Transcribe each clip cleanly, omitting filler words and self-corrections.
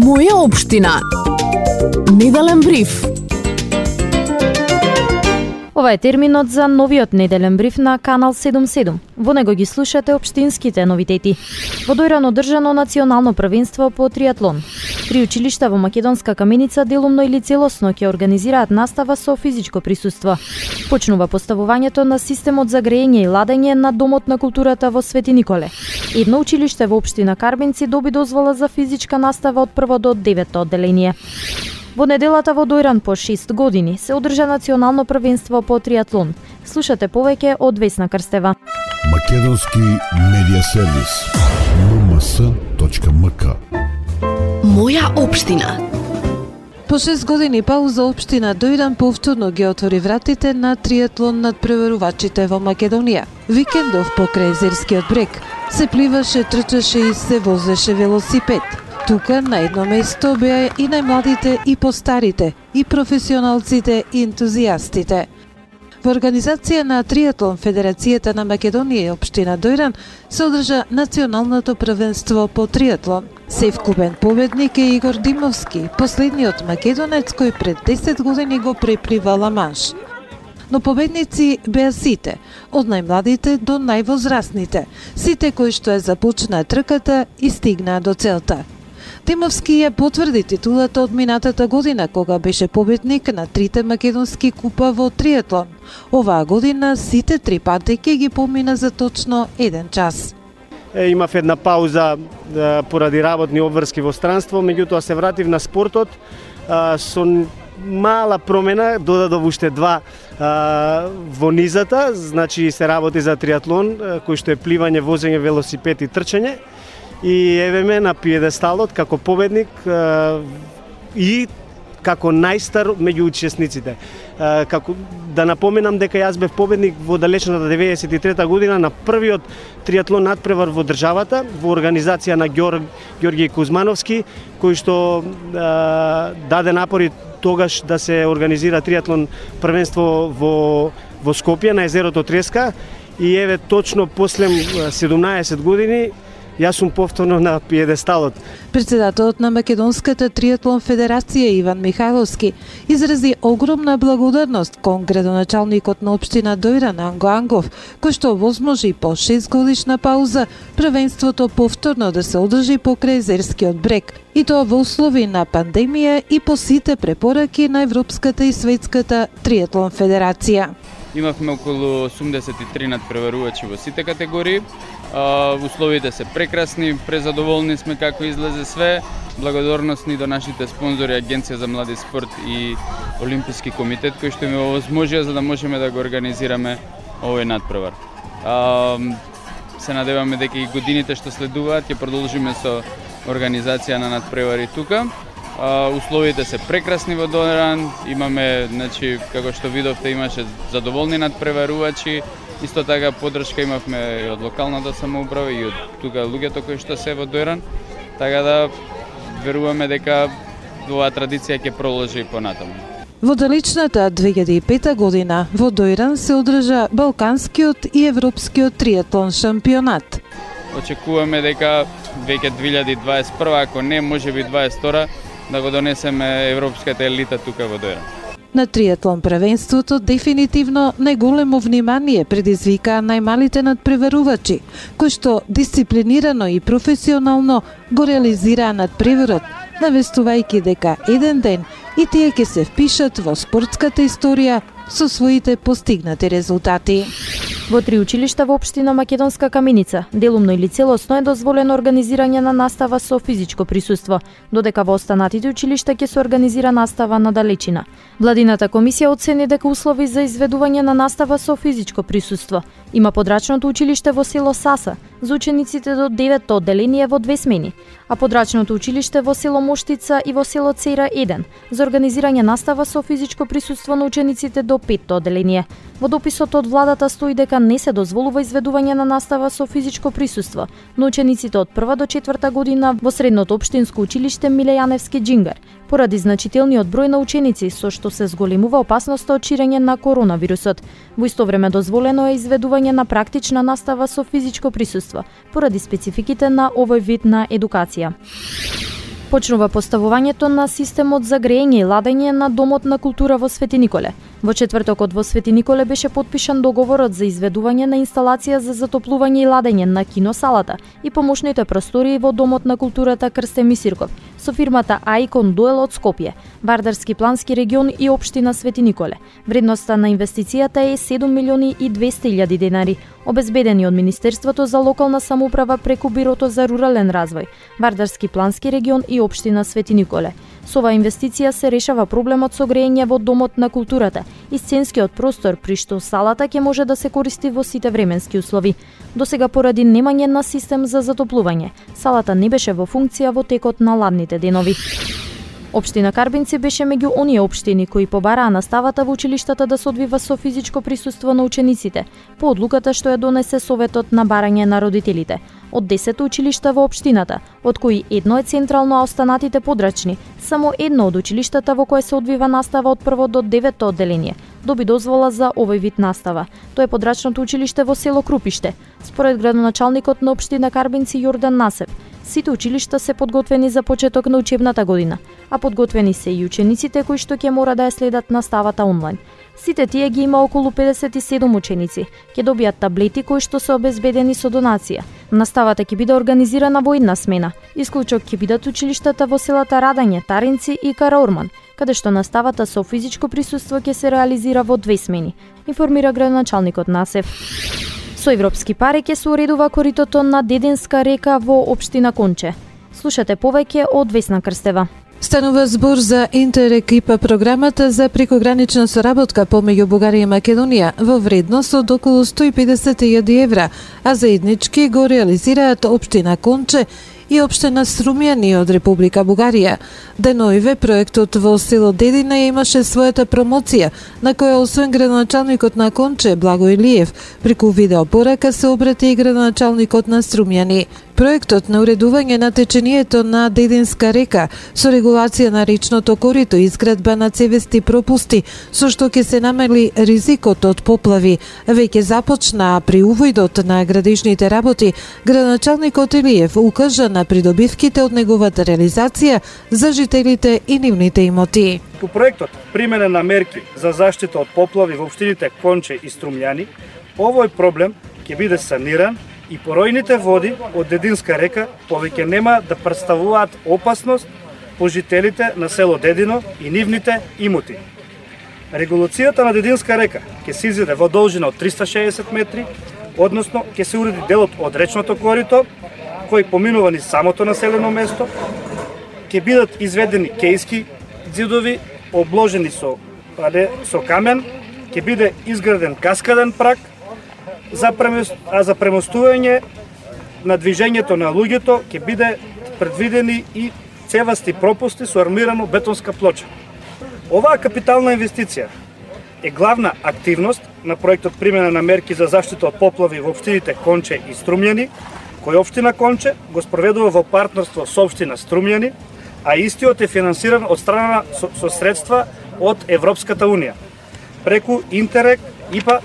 Моја општина. Неделен бриф. Ова е терминот за новиот неделен бриф на Канал 77. Во него ги слушате општинските новитети. Во Дојран одржано национално првенство по триатлон. 3 училишта во Македонска Каменица делумно или целосно ќе организираат настава со физичко присуство. Почнува поставувањето на системот за грејење и ладење на Домот на културата во Свети Николе. Едно училиште во општина Карбенци доби дозвола за физичка настава од 1 до 9 одделение. Во неделата во Дојран по 6 години се одржа национално првенство по триатлон. Слушате повеќе од Весна Крстева. Македонски медиа сервис mms.mk. Моја општина. По 6 години пауза општина Дојран повторно ги отвори вратите на триатлон надпреварувачите во Македонија. Викендов покрај Езерскиот брег се пливаше, трчаше и се возеше велосипед. Тука на едно место беа и најмладите и постарите, и професионалците и ентузијастите. Во организација на Триатлон Федерацијата на Македонија и општина Дојран се одржа националното првенство по триатлон. Севкупен победник е Игор Димовски, последниот македонец кој пред 10 години го преплива Ла Манш. Но победници беа сите, од најмладите до највозрастните, сите кои што ја започнаа трката и стигнаа до целта. Димовски ја потврди титулата од минатата година, кога беше победник на 3 македонски купа во триатлон. Оваа година сите 3 патеки ги помина за точно 1 час. Имав една пауза поради работни обврски во странство, меѓутоа се вратив на спортот со мала промена, додадов уште 2 во низата, значи се работи за триатлон, кој што е пливање, возење, велосипед и трчање. И еве ме на пиедесталот како победник и како најстар меѓу учесниците. Како да напоменам дека јас бев победник во далечната 93 година на првиот триатлон надпревар во државата, во организација на Ѓорѓи Кузмановски, кој што даде напори тогаш да се организира триатлон првенство во Скопје на езерото Треска. И еве точно после 17 години јас сум повторно на пиедесталот. Председателот на Македонската триатлон федерација Иван Михајловски изрази огромна благодарност кон градоначалникот на општина Дојран Анго Ангов, кој што овозможи по 6 годишна пауза првенството повторно да се одржи покрај Езерскиот брег, и тоа во услови на пандемија и по сите препораки на Европската и Светската триатлон федерација. Имавме околу 83 надпреварувачи во сите категории. Условите се прекрасни, презадоволни сме како излезе све. Благодарности до нашите спонзори Агенција за млади спорт и Олимписки комитет кои што ми овозможија за да можеме да го организираме овој надпревар. Се надеваме дека и годините што следуваат ќе продолжиме со организација на надпревари тука. Условите се прекрасни во Дојран, имаме, значи, како што видовте, имаше задоволни надпреварувачи, исто така поддршка имавме и од локалната самоуправа и од тука луѓето кои што се во Дојран, така да веруваме дека оваа традиција ќе продолжи понатаму. Во далечната 2005 година во Дојран се одржа Балканскиот и Европскиот триатлон шампионат. Очекуваме дека веќе 2021, ако не можеби 22, да го донесеме европската елита тука во Дојран. На триатлон првенството дефинитивно најголемо внимание предизвикаа најмалите надпреварувачи, кои што дисциплинирано и професионално го реализираа надпреварот, навестувајќи дека еден ден и тие ќе се впишат во спортската историја со своите постигнати резултати. Во 3 училишта во општина Македонска Каменица делумно или целосно е дозволено организирање на настава со физичко присуство, додека во останатите училишта ќе се организира настава на далечина. Владината комисија оцени дека услови за изведување на настава со физичко присуство има подрачното училиште во село Саса за учениците до 9 одделение во 2 смени, а подрачното училиште во село Моштица и во село Цера 1 за организирање настава со физичко присуство на учениците до 5 одделение. Во дописот од владата стои дека не се дозволува изведување на настава со физичко присуство на учениците од 1 до 4 година во средното општинско училиште Миле Јаневски Џингар, поради значителниот број на ученици со што се зголемува опасноста од ширење на коронавирусот. Во исто време дозволено е изведување на практична настава со физичко присуство, поради спецификите на овој вид на едукација. Почнува поставувањето на системот за грејење и ладење на Домот на култура во Свети Николе. Во четвртокот во Свети Николе беше потпишан договорот за изведување на инсталација за затоплување и ладење на киносалата и помошните простории во Домот на културата Крстен Мисирков со фирмата Аикон Дуел од Скопје, Вардарски плански регион и општина Свети Николе. Вредноста на инвестицијата е 7.200.000 денари, обезбедени од Министерството за локална самоуправа преку Бирото за рурален развој, Вардарски плански регион и општина Свети Николе. Со оваа инвестиција се решава проблемот со грејење во Домот на културата и сценскиот простор, при што салата ќе може да се користи во сите временски услови. Досега поради немање на систем за затоплување, салата не беше во функција во текот на ладните денови. Општина Карбинци беше меѓу оние општини кои побараа наставата во училиштата да се одвива со физичко присуство на учениците, по одлуката што ја донесе Советот на барање на родителите. Од 10 училишта во општината, од кои едно е централно, а останатите подрачни, само едно од училиштата во кое се одвива настава од 1 до 9 одделение доби дозвола за овој вид настава. Тоа е подрачното училиште во село Крупиште. Според градоначалникот на општина Карбинци Јордан Насев, сите училишта се подготвени за почеток на учебната година, а подготвени се и учениците кои што ќе мора да ја следат наставата онлайн. Сите тие ги има околу 57 ученици. Ќе добијат таблети кои што се обезбедени со донација. Наставата ќе биде организирана во една смена. Исклучок ќе бидат училиштата во селата Радање, Таринци и Караорман, каде што наставата со физичко присуство ќе се реализира во 2 смени, информира градоначалникот Насев. Со европски пари ќе се уредува коритото на Дединска река во општина Конче. Слушате повеќе од Весна Крстева. Станува збор за Интерек ИПА програмата за прекогранична соработка помеѓу Бугарија и Македонија во вредност од околу 150.000 евра, а заеднички го реализираат општина Конче и општина Струмјани од Република Бугарија. Деноиве проектот во село Дедина имаше својата промоција, на која освен градоначалникот на Конче Благо Илиев, преку видеопорака се обрати и градоначалникот на Струмјани. Проектот на уредување на течението на Дединска река со регулација на речното корито и изградба на цевести пропусти, со што ќе се намали ризикот од поплави, веќе започна, а при увојдот на градишните работи, градоначалникот Илиев укажа на придобивките од неговата реализација за жителите и нивните имоти. По проектот примена на мерки за заштита од поплави во општините Конче и Струмјани, овој проблем ќе биде саниран и поројните води од Дединска река повеќе нема да претставуваат опасност по жителите на село Дедино и нивните имоти. Регулацијата на Дединска река ќе се изеде во должина од 360 метри, односно ќе се уреди делот од речното корито, кој поминува низ самото населено место, ќе бидат изведени кејски ѕидови обложени со камен, ќе биде изграден каскаден праг, за премостување на движењето на луѓето ќе биде предвидени и цевасти пропусти со армирано бетонска плоча. Оваа капитална инвестиција е главна активност на проектот примена на мерки за заштита од поплави во општините Конче и Струмјани, кој општина Конче го спроведува во партнерство со општина Струмјани, а истиот е финансиран од страна со средства од Европската Унија преку Интерек ИПА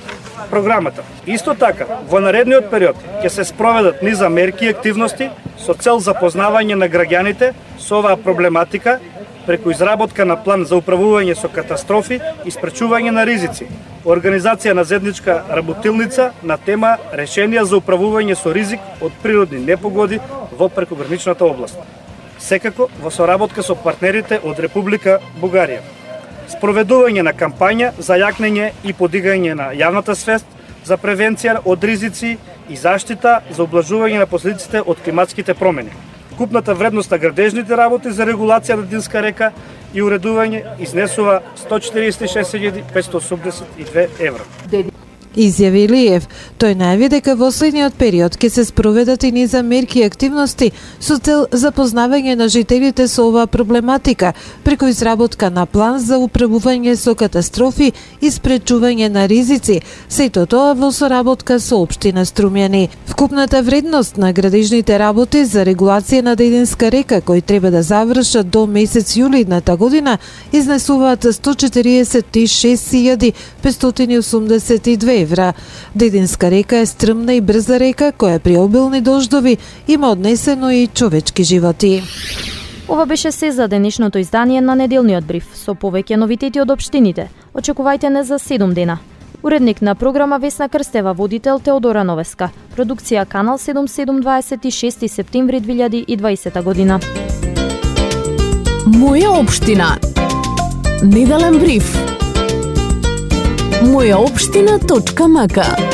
програмата. Исто така, во наредниот период ќе се спроведат низа мерки и активности со цел запознавање на граѓаните со оваа проблематика преку изработка на план за управување со катастрофи и спречување на ризици, организација на заедничка работилница на тема решенија за управување со ризик од природни непогоди во прекограничната област. Секако во соработка со партнерите од Република Бугарија. Спроведување на кампања за јакнење и подигање на јавната свест за превенција од ризици и заштита за облажување на последиците од климатските промени. Купната вредност на градежните работи за регулација на Дединска река и уредување изнесува 146.582 евра. Изјави Илиев. Тој најави дека во следниот период ќе се спроведат и низа мерки и активности со цел запознавање на жителите со оваа проблематика преку изработка на план за управување со катастрофи и спречување на ризици, сето тоа во соработка со општина Струмјани. Вкупната вредност на градежните работи за регулација на Дединска река, кои треба да завршат до месец јули идната година, изнесуваат 146.582 евра. Дединска река е стрмна и брза река која при обилни дождови има однесено и човечки животи. Ова беше се за денешното издание на неделниот бриф со повеќе новитети од општините. Очекувајте не за 7 дена. Уредник на програма Весна Крстева, водител Теодора Новеска. Продукција Канал 77, 26 септември 2020 година. Моја општина. Неделен бриф. Мојаопштина.мк